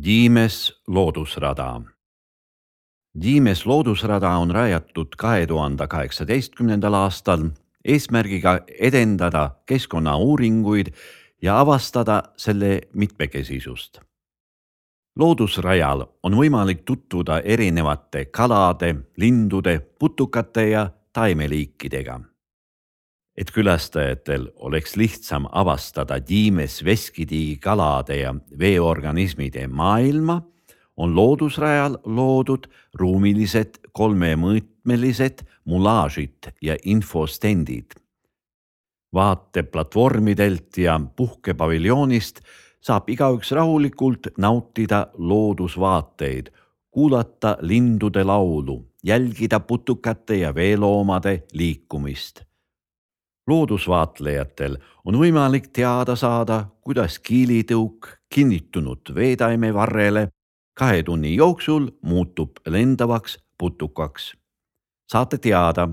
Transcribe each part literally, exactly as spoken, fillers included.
Diimes loodusrada. Diimes loodusrada on rajatud kahe tuhande kaheksateistkümnendal aastal eesmärgiga edendada keskkonnauuringuid ja avastada selle mitmekesisust. Loodusrajal on võimalik tutvuda erinevate kalade, lindude, putukate ja taimeliikidega. Et külastajatel oleks lihtsam avastada Diimes veskitiigi kalade ja veeorganismide maailma, on loodusrajal loodud ruumilised kolmemõõtmelised mulaažid ja infostendid. Vaateplatvormidelt ja puhkepaviljoonist saab igaüks rahulikult nautida loodusvaateid, kuulata lindude laulu, jälgida putukate ja veeloomade liikumist. Loodusvaatlejatel on võimalik teada saada, kuidas kiilitõuk kinnitunud veetaime varrele kahe tunni jooksul muutub lendavaks putukaks. Saate teada,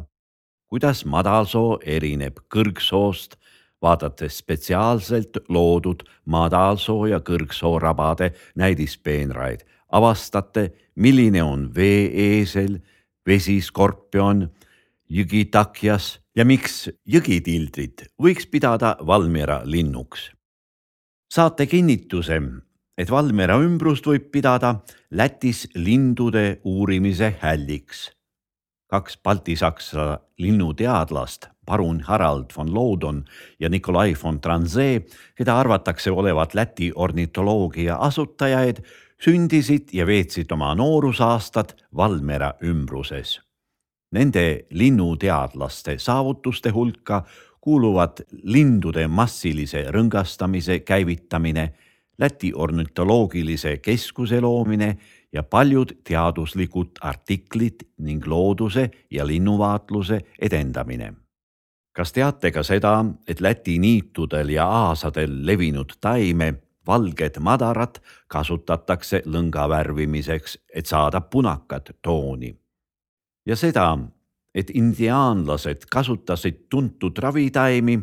kuidas madalsoo erineb kõrgsoost, vaadates spetsiaalselt loodud madalsoo ja kõrgsoo rabade näidispeenraid. Avastate, milline on vee-eesel, vesiskorpion, jõgitakjas ja miks jõgitildrit võiks pidada Valmiera linnuks. Saate kinnituse, et Valmiera ümbrust võib pidada Lätis lindude uurimise hälliks. Kaks baltisaksa linnuteadlast, parun Harald von Loudon ja Nikolai von Tranzee, keda arvatakse olevat Läti ornitoloogia asutajaid, sündisid ja veetsid oma noorusaastad Valmiera ümbruses. Nende linnuteadlaste saavutuste hulka kuuluvad lindude massilise rõngastamise käivitamine, Läti ornitoloogilise keskuse loomine ja paljud teaduslikud artiklid ning looduse ja linnuvaatluse edendamine. Kas teate ka seda, et Läti niitudel ja aasadel levinud taime, valged madarad, kasutatakse lõnga värvimiseks, et saada punakat tooni? Ja seda, et indiaanlased kasutasid tuntud ravitaimi,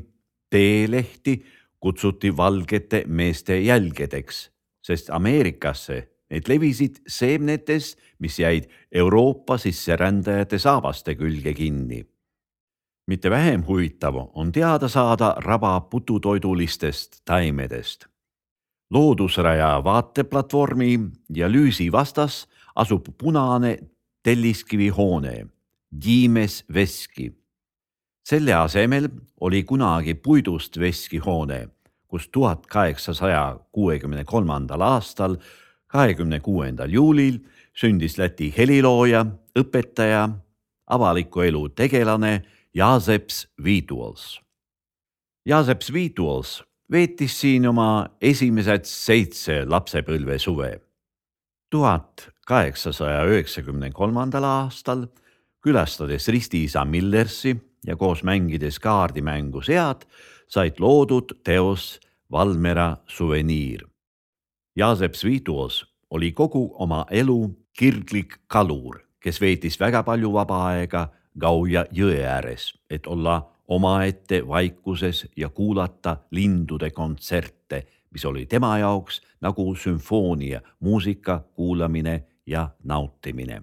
teelehti kutsuti valgete meeste jälgedeks, sest Ameerikasse need levisid seemnetes, mis jäid Euroopa sisserändajate saabaste külge kinni. Mitte vähem huvitav on teada saada raba pututoidulistest taimedest. Loodusraja vaateplatvormi ja lüüsi vastas asub punane telliskivihoone, Diimes veski. Selle asemel oli kunagi puidust veskihoone, kus tuhat kaheksasada kuuekümne kolmandal aastal, kahekümne kuuendal juulil sündis Läti helilooja, õpetaja, avaliku elu tegelane Jāzeps Vītols. Jāzeps Vītols veetis siin oma esimesed seitse lapsepõlve suve. tuhat kaheksasada üheksakümne kolmandal aastal, külastades ristiisa Millersi ja koos mängides kaardimängu Sead, said loodud teos Valmiera suveniir. Jāzeps Vītols oli kogu oma elu kirglik kalur, kes veetis väga palju vaba aega Gauja jõe ääres, et olla omaette vaikuses ja kuulata lindude kontserte, mis oli tema jaoks nagu sümfoonia, muusika kuulamine ja nautimine.